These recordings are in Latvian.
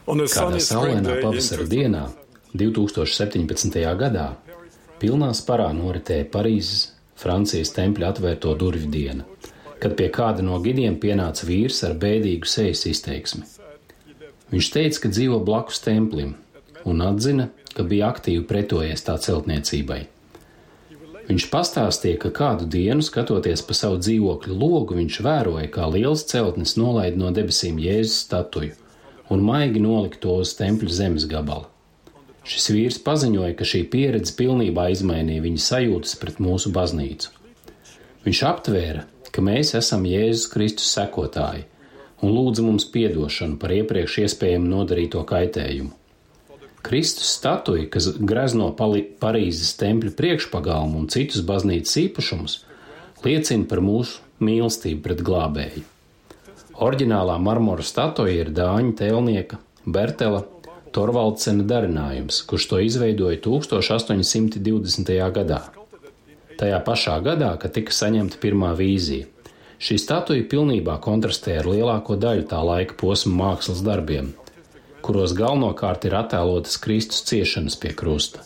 Kādā saulainā pavasara dienā, 2017. gadā, pilnā sparā noritēja Parīzes Francijas tempļa atvērto durvju diena, kad pie kāda no gidiem pienāca vīrs ar bēdīgu sejas izteiksmi. Viņš teica, ka dzīvo blakus templim, un atzina, ka bija aktīvi pretojies tā celtniecībai. Viņš pastāstīja, ka kādu dienu, skatoties pa savu dzīvokļu logu, viņš vēroja, kā liels celtnis nolaida no debesīm Jēzus statuju un maigi nolika to uz tempļa zemes gabala. Šis vīrs paziņoja, ka šī pieredze pilnībā izmainīja viņa sajūtas pret mūsu baznīcu. Viņš aptvēra, ka mēs esam Jēzus Kristus sekotāji un lūdza mums piedošanu par iepriekš iespējami nodarīto kaitējumu. Kristus statuja, kas grezno Parīzes tempļa priekšpagalmu un citus baznīcas īpašumus, liecina par mūsu mīlestību pret glābēju. Oriģinālā marmora statuja ir dāņu tēlnieka Bertela Torvaldsena darinājums, kurš to izveidoja 1820. gadā. Tajā pašā gadā, kad tika saņemta pirmā vīzija, šī statuja pilnībā kontrastē ar lielāko daļu tā laika posma mākslas darbiem, kuros galvenokārt ir attēlotas Kristus ciešanas pie krusta.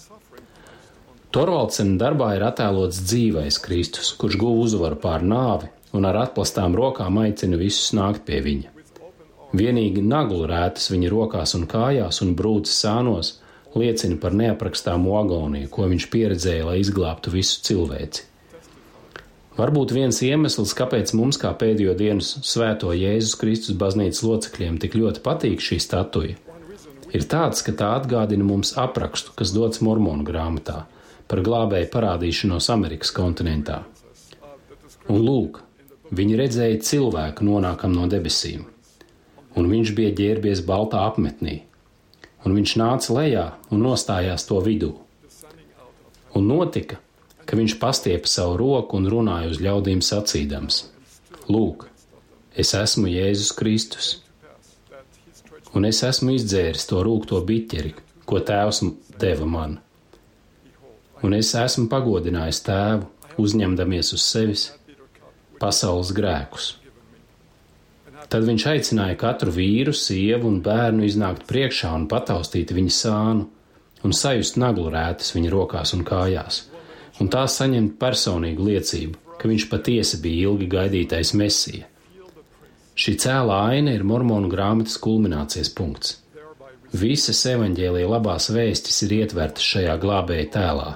Torvaldsena darbā ir attēlots dzīvais Kristus, kurš guva uzvaru pār nāvi un ar atplastām rokām aicina visus nākt pie viņa. Vienīgi naglu rētas viņa rokās un kājās un brūces sānos liecina par neaprakstāmu agoniju, ko viņš pieredzēja, lai izglābtu visu cilvēci. Varbūt viens iemesls, kāpēc mums kā pēdējo dienu svēto Jēzus Kristus baznīcas locekļiem tik ļoti patīk šī statuja, ir tāds, ka tā atgādina mums aprakstu, kas dots Mormonu grāmatā par glābēju parādīšanos Amerikas kontinentā. Un lūk, viņi redzēja cilvēku nonākam no debesīm, un viņš bija ģērbies baltā apmetnī, un viņš nāca lejā un nostājās to vidū. Un notika, ka viņš pastiepa savu roku un runāja uz ļaudīm sacīdams: Lūk, es esmu Jēzus Kristus, un es esmu izdzēris to rūgto biķeri, ko Tēvs deva man. Un es esmu pagodinājis Tēvu, uzņemdamies uz sevis pasaules grēkus. Tad viņš aicināja katru vīru, sievu un bērnu iznākt priekšā un pataustīt viņa sānu un sajust naglu rētas viņa rokās un kājās, un tā saņemt personīgu liecību, ka viņš patiesi bija ilgi gaidītais Mesija. Šī cēlā aina ir Mormonu grāmatas kulminācijas punkts. Visas evaņģēlija labās vēstis ir ietvertas šajā glābēja tēlā,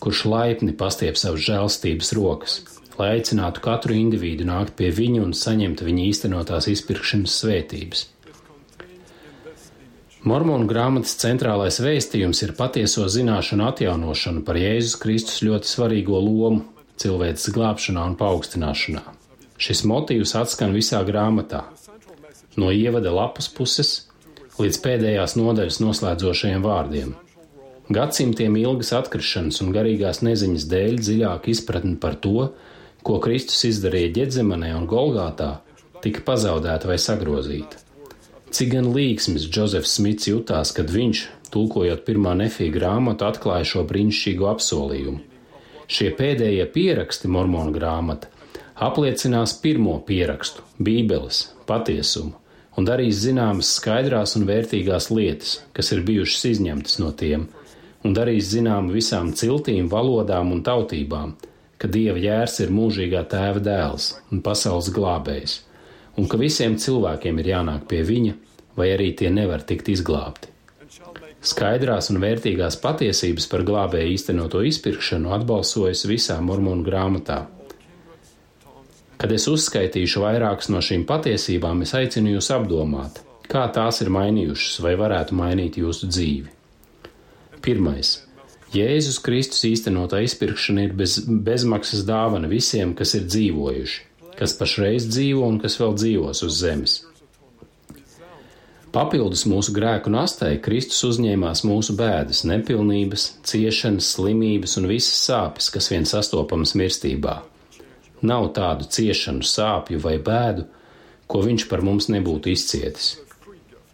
kurš laipni pastiep savas žēlstības rokas, lai aicinātu katru individu nākt pie viņa un saņemt viņa īstenotās izpirkšanas svētības. Mormonu grāmatas centrālais vēstījums ir patieso zināšanu atjaunošana par Jēzus Kristus ļoti svarīgo lomu cilvēces glābšanā un paaugstināšanā. Šis motīvs atskan visā grāmatā, no ievada lapas puses līdz pēdējās nodaļas noslēdzošajiem vārdiem. Gadsimtiem ilgas atkrišanas un garīgās neziņas dēļ dziļāka izpratne par to, ko Kristus izdarīja Ģedzemanē un Golgātā, tika pazaudēta vai sagrozīta. Cik gan līgsmis Džozefs Smits jutās, kad viņš, tulkojot pirmā Nefija grāmatu, atklāja šo brīnišķīgo apsolījumu. Šie pēdējie pieraksti, Mormonu grāmata, apliecinās pirmo pierakstu, Bībeles, patiesumu, un darīs zināmas skaidrās un vērtīgās lietas, kas ir bijušas izņemtas no tiem, un darīs zinām visām ciltīm, valodām un tautībām, ka Dieva jērs ir mūžīgā Tēva dēls un pasaules glābējs, un ka visiem cilvēkiem ir jānāk pie viņa, vai arī tie nevar tikt izglābti. Skaidrās un vērtīgās patiesības par glābēju īstenoto izpirkšanu atbalsojas visā Mormonu grāmatā. Kad es uzskaitīšu vairākas no šīm patiesībām, es aicinu jūs apdomāt, kā tās ir mainījušas vai varētu mainīt jūsu dzīvi. Pirmais. Jēzus Kristus īstenotā izpirkšana ir bezmaksas dāvana visiem, kas ir dzīvojuši, kas pašreiz dzīvo un kas vēl dzīvos uz zemes. Papildus mūsu grēku nastai, Kristus uzņēmās mūsu bēdas, nepilnības, ciešanas, slimības un visas sāpes, kas vien sastopamas mirstībā. Nav tādu ciešanu, sāpju vai bēdu, ko viņš par mums nebūtu izcietis.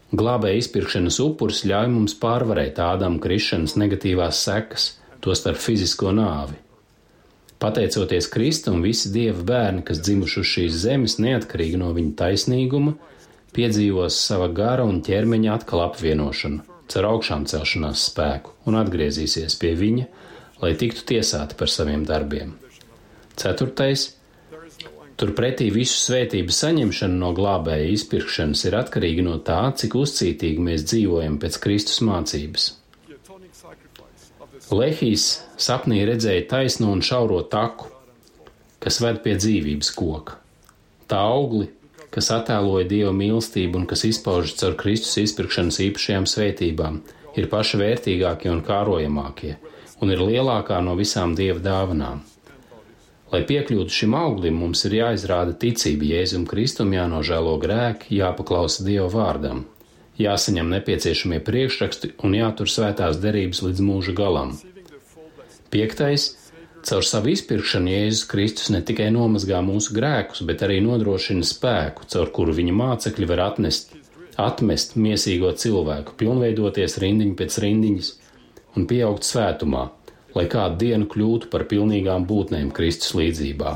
Glābēja izpirkšanas upuris ļauj mums pārvarēt Ādama krišanas negatīvās sekas, tostarp fizisko nāvi. Pateicoties Kristum, visi Dieva bērni, kas dzimuši uz šīs zemes, neatkarīgi no viņa taisnīguma, piedzīvos sava gara un ķermeņa atkal apvienošanu, caur augšām celšanās spēku un atgriezīsies pie viņa, lai tiktu tiesāti par saviem darbiem. 4. Turpretī visu svētību saņemšana no glābēja izpirkšanas ir atkarīga no tā, cik uzcītīgi mēs dzīvojam pēc Kristus mācības. Lehijs sapnī redzēja taisno un šauro taku, kas ved pie dzīvības koka. Tā augli, kas attēloja Dieva mīlestību un kas izpaužas caur Kristus izpirkšanas īpašajām svētībām, ir paši vērtīgākie un kārojamākie un ir lielākā no visām Dieva dāvanām. Lai piekļūtu šim auglim, mums ir jāizrāda ticība Jēzum Kristum, jānožēlo grēki, jāpaklausa Dieva vārdam, jāsaņem nepieciešamie priekšraksti un jātur svētās derības līdz mūža galam. 5. Caur savu izpirkšanu Jēzus Kristus ne tikai nomazgā mūsu grēkus, bet arī nodrošina spēku, caur kuru viņa mācekļi var atmest miesīgo cilvēku, pilnveidoties rindiņu pēc rindiņas un pieaugt svētumā, lai kādu dienu kļūtu par pilnīgām būtnēm Kristus līdzībā,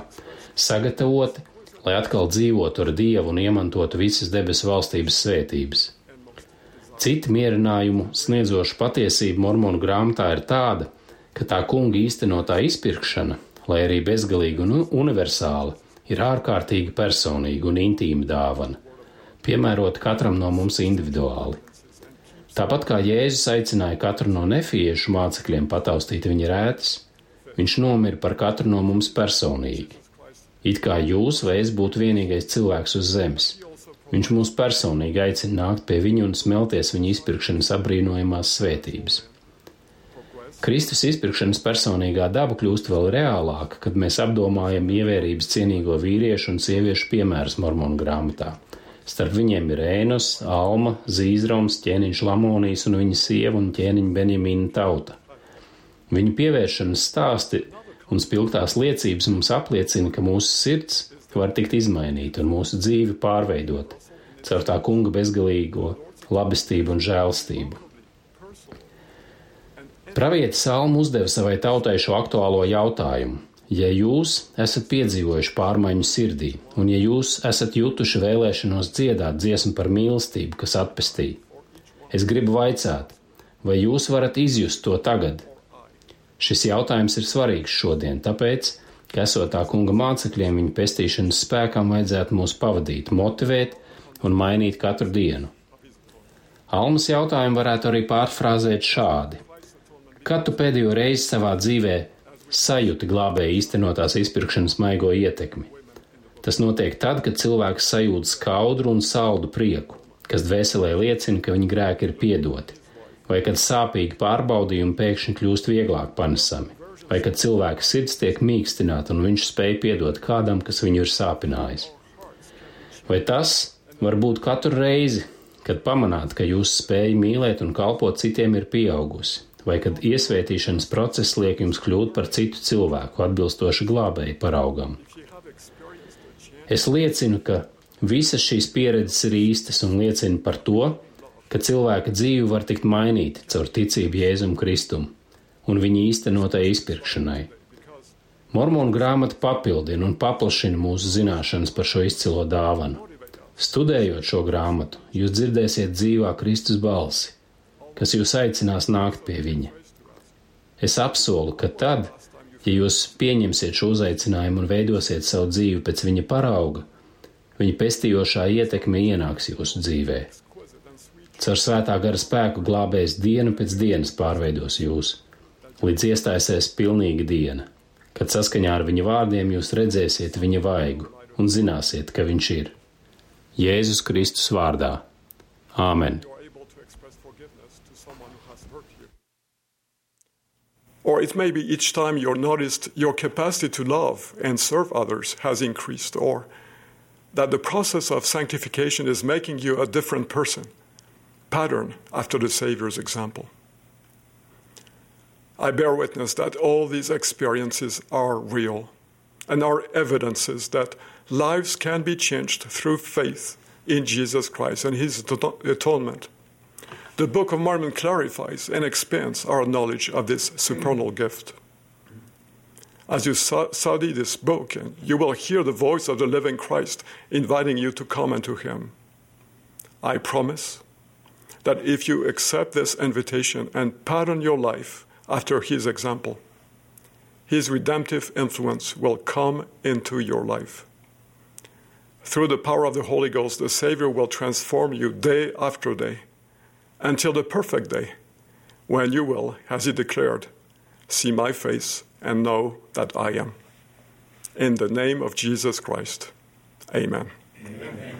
sagatavoti, lai atkal dzīvotu ar Dievu un iemantotu visas debesu valstības svētības. Cita mierinājumu sniedzoša patiesība Mormonu grāmatā ir tāda, ka tā kunga īstenotā izpirkšana, lai arī bezgalīga un universāla, ir ārkārtīgi personīga un intīma dāvana, piemērota katram no mums individuāli. Tāpat kā Jēzus aicināja katru no nefiešu mācekļiem pataustīt viņa rētas, viņš nomira par katru no mums personīgi. It kā jūs vai es būtu vienīgais cilvēks uz zemes. Viņš mūs personīgi aicina nākt pie viņa un smelties viņa izpirkšanas apbrīnojamās svētības. Kristus izpirkšanas personīgā daba kļūst vēl reālāka, kad mēs apdomājam ievērības cienīgo vīriešu un sieviešu piemērus Mormonu grāmatā. Starp viņiem ir Ēnos, Alma, Zīzroms, ķēniņš Lamonijs un viņa sieva un ķēniņa Benjamīna tauta. Viņu pievēršanas stāsti un spilgtās liecības mums apliecina, ka mūsu sirds var tikt izmainīta un mūsu dzīve pārveidota caur tā kunga bezgalīgo labestību un žēlstību. Pravietis Alma uzdeva savai tautai šo aktuālo jautājumu. Ja jūs esat piedzīvojuši pārmaiņu sirdī, un ja jūs esat jutuši vēlēšanos dziedāt dziesmu par mīlestību, kas atpestīja, es gribu vaicāt, vai jūs varat izjust to tagad? Šis jautājums ir svarīgs šodien, tāpēc, ka esot tā kunga mācekļiem, viņa pestīšanas spēkam vajadzētu mūs pavadīt, motivēt un mainīt katru dienu. Almas jautājumu varētu arī pārfrāzēt šādi. Kad tu pēdējo reizi savā dzīvē sajūti glābēja īstenotās izpirkšanas maigo ietekmi? Tas notiek tad, kad cilvēks sajūt skaudru un saldu prieku, kas dvēselē liecina, ka viņa grēki ir piedoti, vai kad sāpīgi pārbaudījumi pēkšņi kļūst vieglāk panesami, vai kad cilvēka sirds tiek mīkstināta un viņš spēj piedot kādam, kas viņu ir sāpinājis. Vai tas var būt katru reizi, kad pamanāt, ka jūsu spēja mīlēt un kalpot citiem ir pieaugusi, vai kad iesvētīšanas process liek jums kļūt par citu cilvēku, atbilstoši glābēja paraugam. Es liecinu, ka visas šīs pieredzes ir īstas un liecina par to, ka cilvēka dzīve var tikt mainīta caur ticību Jēzum Kristum un viņa īstenotai izpirkšanai. Mormonu grāmata papildina un paplašina mūsu zināšanas par šo izcilo dāvanu. Studējot šo grāmatu, jūs dzirdēsiet dzīvā Kristus balsi, kas jūs aicinās nākt pie viņa. Es apsolu, ka tad, ja jūs pieņemsiet šo uzaicinājumu un veidosiet savu dzīvi pēc viņa parauga, viņa pestījošā ietekme ienāks jūsu dzīvē. Caur svētā gara spēku glābējs dienu pēc dienas pārveidos jūs, līdz iestāsies pilnīga diena, kad saskaņā ar viņa vārdiem jūs redzēsiet viņa vaigu un zināsiet, ka viņš ir. Jēzus Kristus vārdā. Āmen. Or it may be each time you're noticed your capacity to love and serve others has increased, or that the process of sanctification is making you a different person, pattern after the Savior's example. I bear witness that all these experiences are real and are evidences that lives can be changed through faith in Jesus Christ and His atonement. The Book of Mormon clarifies and expands our knowledge of this supernal gift. As you study this book, you will hear the voice of the living Christ inviting you to come unto Him. I promise that if you accept this invitation and pattern your life after his example, his redemptive influence will come into your life. Through the power of the Holy Ghost, the Savior will transform you day after day until the perfect day when you will, as he declared, see my face and know that I am. In the name of Jesus Christ, amen. Amen.